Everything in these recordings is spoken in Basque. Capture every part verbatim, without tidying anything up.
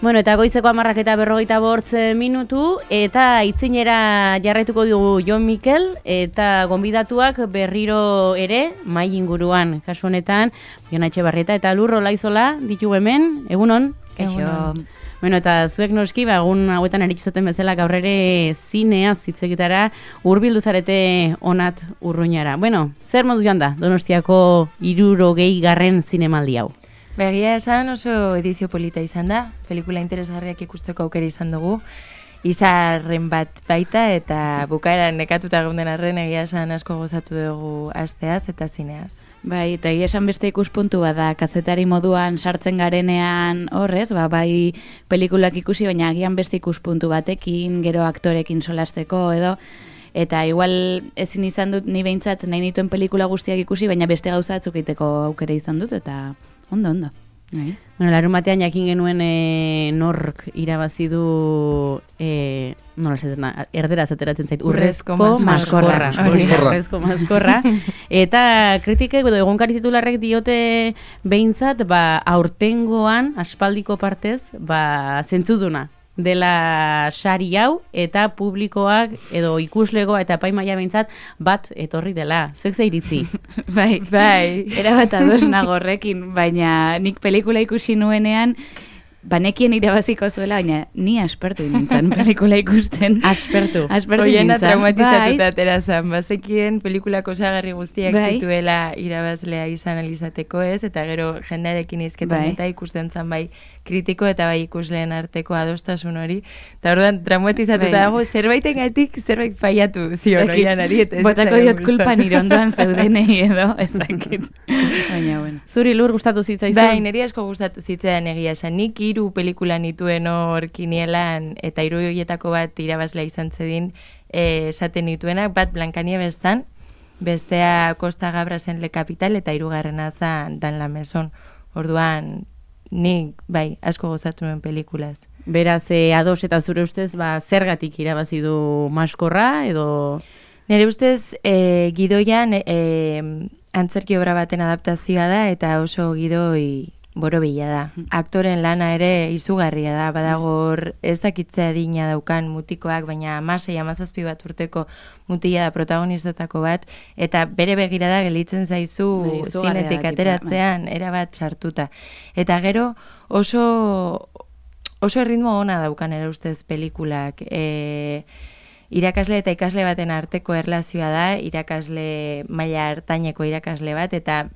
Bueno, eta goizeko hamarrak eta berrogeita bortz minutu, eta itzinera jarraituko dugu Jon Mikel, eta gonbidatuak berriro ere, mai inguruan, kasu honetan, Jon Etxebarrieta eta Lur Olaizola ditugu hemen, egunon? Kaixo. Bueno, eta zuek noski, ba, egun hauetan eritxuzaten bezala gaur ere zineaz hitzegitara hurbildu zarete onat urruñara. Bueno, zer modu joan da, Donostiako hirurogei garren zinemaldi hau? Begia esan oso edizio polita izan da, pelikula interesgarriak ikusteko aukera izan dugu, izarren bat baita eta bukaeran nekatuta geunden arren egia esan asko gozatu dugu asteaz eta zineaz. Bai, eta egia esan beste ikuspuntu bat da, kazetari moduan sartzen garenean horrez, ba, bai pelikulak ikusi, baina agian beste ikuspuntu batekin, gero aktorekin solasteko edo, eta igual ezin izan dut ni behintzat nahi nituen pelikula guztiak ikusi, baina beste gauza batzuk egiteko aukera izan dut, eta ondo, ondo. Bai. Bueno, larun batean jakin genuen e, nork irabazi du e, nola esaten da, erderaz ateratzen zait, urrezko maskorra. Urrezko maskorra. Eta kritikek edo egunkari titularrek diote behintzat, ba, aurtengoan, aspaldiko partez, ba, zentzuduna dela sari hau eta publikoak edo ikuslegoa eta epaimaia behintzat bat etorri dela. Zuek ze iritzi? Bai, bai. Era bat ados nagorrekin, baina nik pelikula ikusi nuenean banekien irabaziko zuela, baina ni aspertu nintzen pelikula ikusten. Aspertu. Aspertu Oiena nintzen. traumatizatuta aterazan, bazekien pelikulako osagarri guztiak bai. zituela irabazlea izan alizateko ez, eta gero jendearekin izketan bai. eta ikusten zan bai kritiko eta bai ikusleen arteko adostasun hori. Eta orduan traumatizatuta bai. dago zerbaitengatik zerbait faiatu zion oianari. Botako diot kulpa nire ondoan zeudenei edo, ez dakit. Baina, bueno. Zuri Lur gustatu zitzaizun? Bai, niri asko gustatu zitzaidan egia esan. Nik hiru pelikula nituen hor kinielan eta hiru horietako bat irabazlea izan zedin eh, esaten nituenak, bat Blancanieves zan, bestea Costa Gabrasen Le Capital eta hirugarrena zan Dan la Maison. Orduan, nik, bai, asko gozatu nuen pelikulaz. Beraz, e, ados eta zure ustez, ba, zergatik irabazi du maskorra, edo... Nire ustez, e, gidoian e, antzerki obra baten adaptazioa da eta oso gidoi borobila da. Aktoren lana ere izugarria da, badagor ez dakitzea adina daukan mutikoak, baina amasei, amazazpi bat urteko mutila da protagonistetako bat, eta bere begirada gelditzen zaizu Bai, zinetik ateratzean, erabat sartuta. Eta gero oso, oso erritmo ona daukan ere ustez pelikulak. E, irakasle eta ikasle baten arteko erlazioa da, irakasle maila hartaineko irakasle bat, eta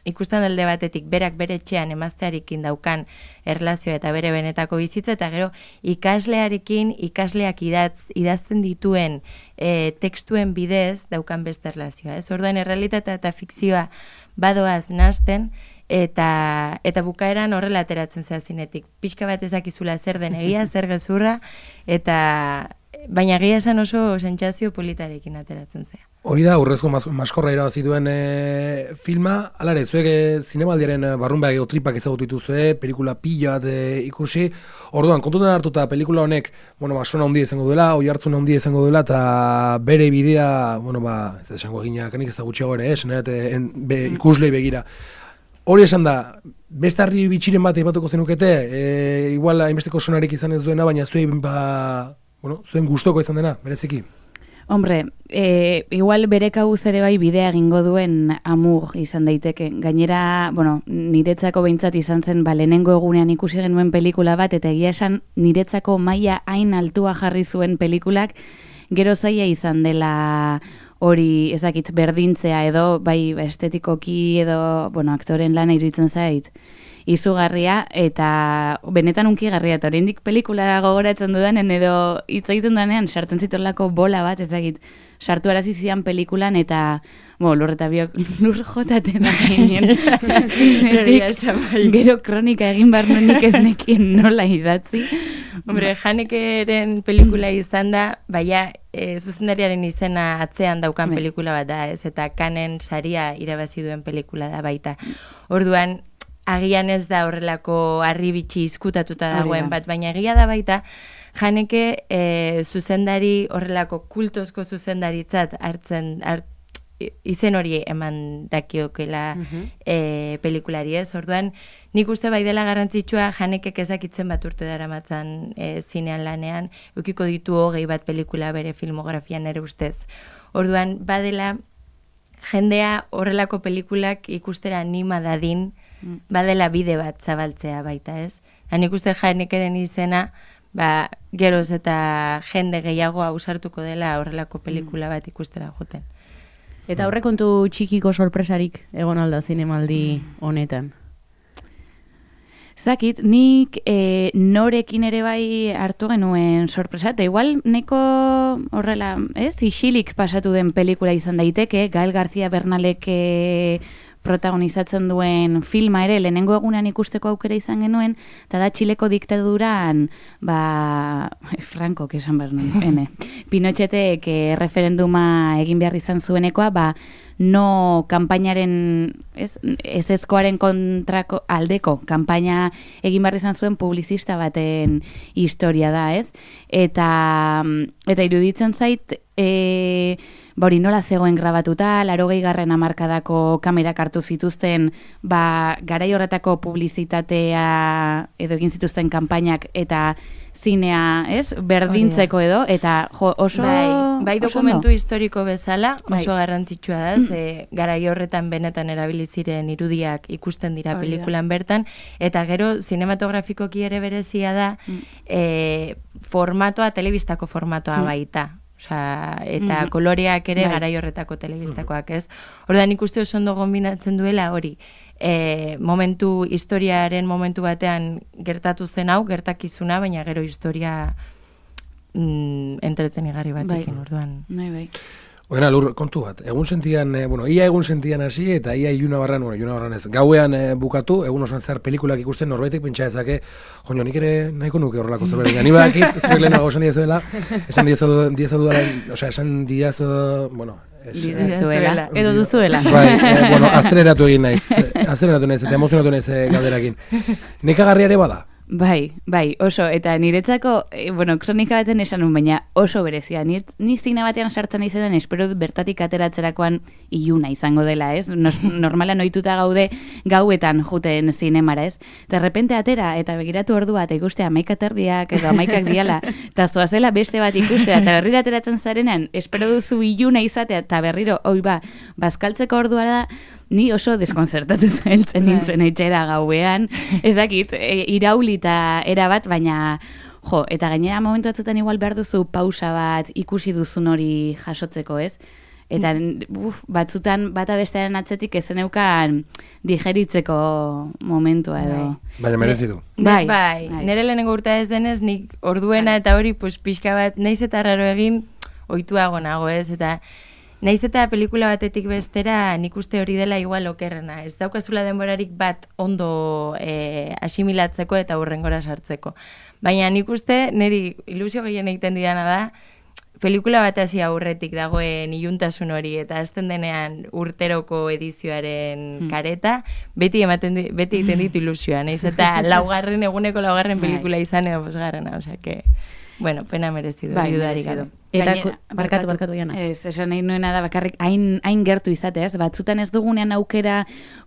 ikusten alde batetik berak bere etxean emaztearekin daukan erlazioa eta bere benetako bizitza, eta gero ikaslearekin ikasleak idatz, idazten dituen e, tekstuen bidez daukan beste erlazioa. Ez orduan errealitatea eta fikzioa badoaz nahasten, eta eta bukaeran horrela ateratzen zea zinetik. Pixka bat ezakizula zer den egia, zer gezurra, eta baina egia esan oso sentsazio politarekin ateratzen zea. Hori da, urrezko mas, maskorra irabazi duen e, filma, alare, zuek e, zinemaldiaren barrunbeak ego tripak ezagutu dituzue, pelikula pila bat e, ikusi, orduan, kontutan hartuta pelikula honek, bueno, ba, sona handia izango duela, oi hartzuna handia izango duela, eta bere bidea, bueno, ba, ez da esango eginak, enik ez da gutxiago ere, esan be, ikuslei begira. Hori esan da, beste harri bitxiren bat eipatuko zenukete, e, igual hainbesteko sonarik izan ez duena, baina zuen, ba, bueno, zuen gustoko izan dena, bereziki. Hombre, e, igual bere kabuz ere bai bidea egingo duen Amur izan daiteke. Gainera, bueno, niretzako behintzat izan zen, ba, lehenengo egunean ikusi genuen pelikula bat, eta egia esan niretzako maila hain altua jarri zuen pelikulak, gero zaila izan dela hori ezakit berdintzea edo, bai estetikoki edo, bueno, aktoren lana iruditzen zait izugarria, eta benetan unkigarria, eta oraindik pelikula gogoratzen dudanen edo hitz egiten dudanean sartzen zitolako bola bat, ezagit, sartu arazi zidan pelikulan, eta bo, Lur eta biok lur jotaten ginen zinetik, gero kronika egin bar nuenik ez nekien nola idatzi. Hombre, Hanekeren pelikula izan da, baina e, zuzendariaren izena atzean daukan Be. pelikula bat da, ez, eta Kanen saria irabazi duen pelikula da baita. Orduan, agian ez da horrelako harribitxi izkutatuta dagoen bat, baina egia da baita, Haneke e, zuzendari horrelako kultozko zuzendaritzat hartzen, hart, izen hori eman dakiokela uh-huh. e, pelikulari ez, orduan nik uste bai dela garrantzitsua Hanekek ezakitzen bat urte daramatzan e, zinean lanean, eukiko ditu hogei bat pelikula bere filmografian ere ustez. Orduan, badela jendea horrelako pelikulak ikustera anima dadin, mm. badela bide bat zabaltzea baita, ez? Nik uste Hanekeren izena, ba, geroz eta jende gehiago ausartuko dela horrelako pelikula bat ikustera joten. Eta aurrekontu txikiko sorpresarik egon alda zinemaldi honetan? Zakit, nik e, norekin ere bai hartu genuen sorpresa, eta igual neko horrela, ez, isilik pasatu den pelikula izan daiteke, Gael García Bernalek e, protagonizatzen duen filma ere, lehenengo egunean ikusteko aukera izan genuen, eta da Txileko diktaduran, ba, Franco, esan behar nuen, ene, Pinochetek e, referenduma egin behar izan zuenekoa, ba, no kanpainaren, ez, ez ezkoaren kontrako aldeko kanpaina egin behar izan zuen publizista baten historia da, ez? Eta, eta iruditzen zait, e, ba hori nola zegoen grabatuta, laurogei garren hamarkadako kamerak hartu zituzten, ba, garai horretako publizitatea edo egin zituzten kanpainak eta zinea, ez? Berdintzeko edo, eta jo, oso... Bai, bai dokumentu oso historiko bezala, oso bai. Garrantzitsua da, ze garai horretan benetan erabili ziren irudiak ikusten dira Orida. Pelikulan bertan, eta gero zinematografikoki ere berezia da, mm. e, formatoa, telebistako formatoa mm. baita. Osea, eta mm. koloreak ere bai. Garai horretako telebistakoak, ez? Orduan ikuste oso ondo kombinatzen duela hori. E, momentu, historiaren momentu batean gertatu zen hau, gertakizuna, baina gero historia mm, entretenigarri batekin, bai. Orduan. Bai, bai. Oena, lur, kontu bat, egun sentian, eh, bueno, ia egun sentian hasi, eta ia iluna barran, bueno, iluna barran ez, gauean eh, bukatu, egun osan zehar pelikulak ikusten, norbaitek pentsa ezake, joño, nik ere nahiko nuke horrelako zerbait, ni bakit, zuek lehenago esan diezuela, esan diezu duela, osea, esan diezu, bueno, Dizuela, edo duzuela. Bai, eh, bueno, azeleratu egin naiz, azeleratu naiz, eta emozionatu naiz eh, galderakin. Nekagarria ere bada? Bai, bai, oso, eta niretzako, e, bueno, kronika baten esan un, baina oso berezia. Ni, ni zina batean sartzen izaten, espero bertatik ateratzerakoan iluna izango dela, ez? Nos, normalan ohituta gaude gauetan juten zinemara, ez? De repente atera, eta begiratu ordu bat ikuste amaika terdiak, edo amaikak diala, eta zoazela beste bat ikustea, eta berriro ateratzen zarenan, espero duzu iluna izatea, eta berriro, oi ba, bazkaltzeko ordua da, ni oso deskonzertatu zailtzen nintzen etxera gauean, ez dakit, e, iraulita erabat, baina, jo, eta gainera momentu batzutan igual behar duzu pausa bat ikusi duzun hori jasotzeko, ez? Eta uf, batzutan bata bestearen atzetik ezen eukan digeritzeko momentua edo. Baina merezi du. Bai, bai, bai. Nere lehenengo urta ez denez, nik orduena bai. Eta hori pues, pixka bat, naiz eta raro egin, ohituago nago, ez? Eta naiz eta pelikula batetik bestera nik uste hori dela igual okerrena. Ez daukazula denborarik bat ondo e, asimilatzeko eta hurrengora sartzeko. Baina nik uste niri ilusio gehien egiten didana da, pelikula bat hasi aurretik dagoen iluntasun hori eta azten denean urteroko edizioaren kareta, beti ematen di, beti egiten ditu ilusioa, naiz eta laugarren eguneko laugarren pelikula izan edo bosgarrena, osea que bueno, pena merezidu, bai, dudarik gabe. Eta barkatu, barkatu jana. Ez, esan nahi nuena da bakarrik hain, hain gertu izateaz, batzutan ez dugunean aukera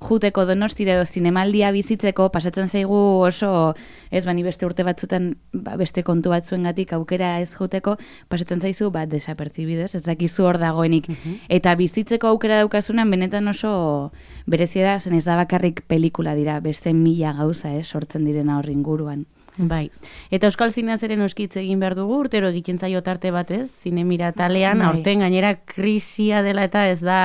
juteko Donostira edo zinemaldia bizitzeko, pasatzen zaigu oso, ez bani beste urte batzutan ba, beste kontu batzuengatik aukera ez juteko, pasatzen zaizu bat desapertzibidez, ez dakizu hor dagoenik. Uh-huh. Eta bizitzeko aukera daukasunan benetan oso berezia da, zen ez da bakarrik pelikula dira, beste mila gauza, eh, sortzen direna horri inguruan. Bai. Eta Euskal Zineaz ere noskitz egin behar dugu, urtero egiten zaio tarte batez, zinemira talean, aurten gainera krisia dela eta ez da,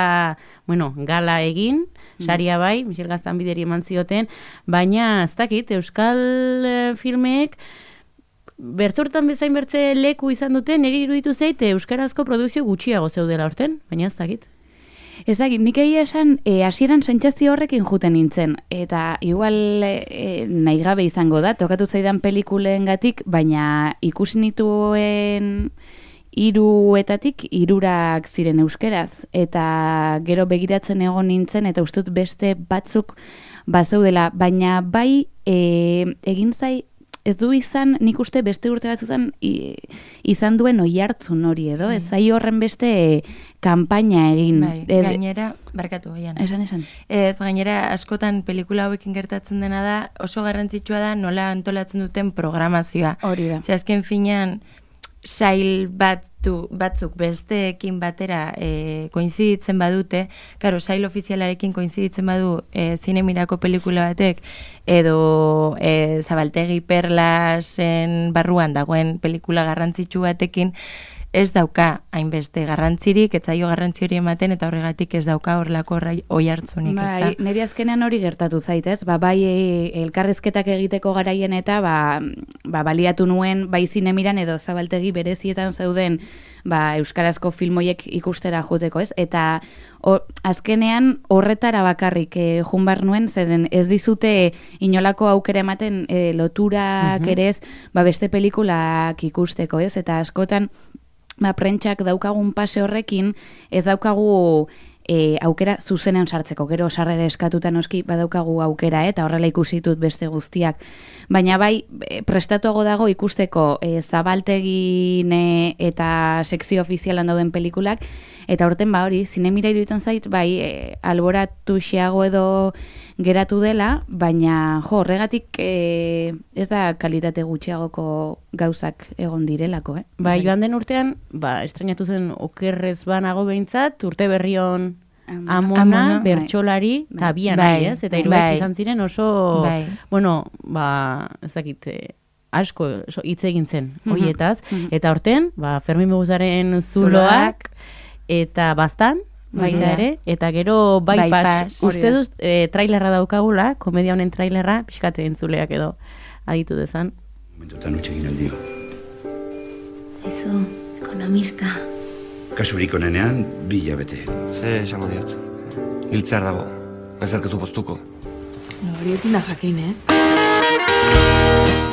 bueno, gala egin, saria bai, Michel Gaztanbideri eman zioten, baina ez dakit, Euskal filmeek bertzortan bezain bertze leku izan duten, niri iruditu zait, euskarazko produkzio gutxiago zeudela aurten, baina ez dakit. Ezagit, nik egia esan, e, hasieran sentsazio horrekin juten nintzen, eta igual e, nahi gabe izango da, tokatu zaidan pelikulengatik, baina ikusi nituen hiruetatik hirurak ziren euskeraz, eta gero begiratzen egon nintzen, eta ustut beste batzuk bazeudela, baina bai e, egin zai ez du izan, nik uste beste urte batzutan izan duen oihartzun hori edo, ez zai horren beste kanpaina egin. Bai, gainera, barkatu goian. Esan, esan. Ez, gainera, askotan pelikula hauekin gertatzen dena da, oso garrantzitsua da nola antolatzen duten programazioa. Hori da. Ze azken finean, sail batu, batzuk besteekin batera e, koinziditzen badute, karo, sail ofizialarekin koinziditzen badu e, zinemirako pelikula batek, edo e, Zabaltegi Perlasen barruan dagoen pelikula garrantzitsu batekin, ez dauka hainbeste garrantzirik, ez zaio garrantzi hori ematen, eta horregatik ez dauka horrelako oi hartzunik, ez da? Bai, niri azkenean hori gertatu zaitez, ba, bai elkarrizketak egiteko garaien eta ba, ba, baliatu nuen bai zinemiran edo Zabaltegi berezietan zeuden ba, euskarazko filmoiek ikustera joteko, ez? Eta o, azkenean horretara bakarrik e, junbar nuen, zeren ez dizute inolako aukera ematen e, loturak uh-huh. ere ez, ba, beste pelikulak ikusteko, ez? Eta askotan ba, prentxak daukagun pase horrekin, ez daukagu e, aukera zuzenean sartzeko, gero sarrera eskatuta noski badaukagu aukera, eh? Eta horrela ikusitut beste guztiak. Baina bai, prestatuago dago ikusteko e, Zabaltegin eta sekzio ofizialan dauden pelikulak, eta horten ba hori, zinemira iruditzen zait, bai, e, alboratu xeago edo geratu dela, baina jo, horregatik e, ez da kalitate gutxiagoko gauzak egon direlako, eh? Bai, joan den urtean, ba, estrenatu zen okerrez banago behintzat, urte berrion Amona, Amona bertsolari, eta bai. Bian bai, ez? Eta iruek bai. Izan ziren oso, bai. Bueno, ba, ezakit, asko hitz egin zen, hoietaz, mm-hmm. eta horten, ba, Fermin Muguzaren zuloak, eta bastan, baita ere, eta gero bypass, bypass. Uste duz, e, trailerra daukagula, komedia honen trailerra, pixkate entzuleak edo aditu dezan. Momentutan utxegin aldio. Aizu, ekonomista. Kasurik onenean, bila bete. Ze esango diot. Hiltzear dago, ezerkezu postuko. No, hori ezin da jakin, eh?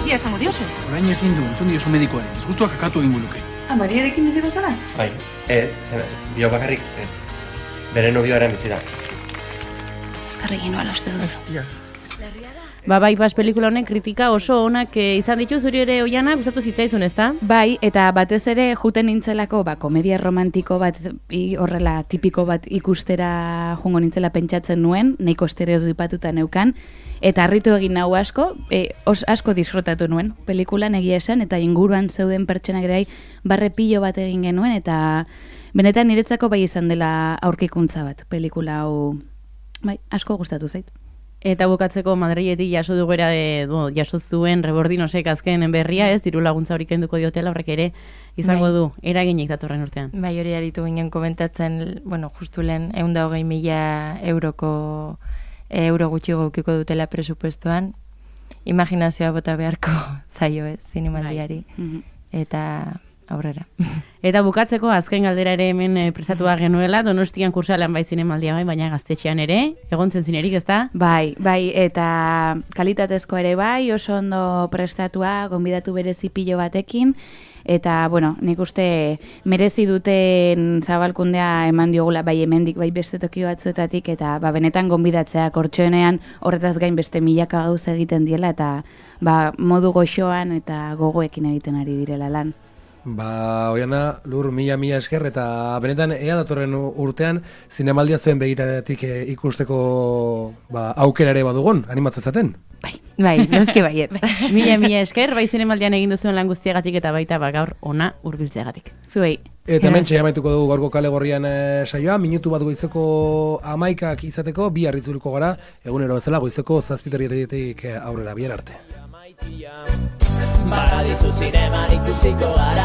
Ia esango diozu. Orain ezin du, entzun diozu medikoaren, ez guztuak akatu egin buluke. Amariarekin bizi bazara? Bai, ez, bio bakarrik ez. Bere nobioaren bizi da. Azkarregin noala uste duzu. Ba, bai, bas pelikula honen kritika oso onak e, izan ditu, zuri ere Oiana, gustatu zitzaizun, ezta? Bai, eta batez ere juten nintzelako, ba, komedia romantiko bat, i, horrela tipiko bat ikustera jungo nintzela pentsatzen nuen, nahiko estereotipatuta neukan, eta harritu egin nau asko, e, os, asko disfrutatu nuen pelikulan egia esan, eta inguruan zeuden pertsonak ere barre pilo bat egin genuen, eta benetan niretzako bai izan dela aurkikuntza bat, pelikula hau, bai, asko gustatu zait. Eta bukatzeko Madriletik jaso dugera, e, bo, jaso zuen Rebordinosek azken berria, ez, diru laguntza horik kenduko diotela, horrek ere izango bai. Du, eraginik datorren urtean. Bai, hori aritu ginen komentatzen, bueno, justu lehen, ehun eta hogei mila euroko euro gutxi gaukiko dutela presupuestoan, imaginazioa bota beharko zaio, ez, zinemaldiari, bai. Eta aurrera. Eta bukatzeko azken galdera ere hemen e, prestatua genuela, Donostian kursalan bai zinemaldia bai, baina gaztetxean ere, egontzen zinerik, ez da? Bai, bai, eta kalitatezko ere bai, oso ondo prestatua, gonbidatu berezi pilo batekin, eta, bueno, nik uste merezi duten zabalkundea eman diogula, bai hemendik, bai beste toki batzuetatik, eta ba, benetan gonbidatzea kortxoenean horretaz gain beste milaka gauz egiten diela, eta ba, modu goxoan eta gogoekin egiten ari direla lan. Ba, Oiana, Lur, mila mila esker, eta benetan ea datorren urtean zinemaldia zuen begitatik e, ikusteko ba, aukera ere badugun, animatzen zaten? Bai, bai, noski baiet. Mila mila esker, bai zinemaldian egin duzuen lan guztiagatik eta baita ba, gaur ona hurbiltzeagatik. Zuei. Eta hemen txai amaituko dugu gaurko kale gorrian e, saioa, minutu bat goizeko amaikak izateko, bi harritzuliko gara, egunero bezala goizeko zazpiterrietetik aurrera, bihar arte. Paradisu zinema ikusiko gara.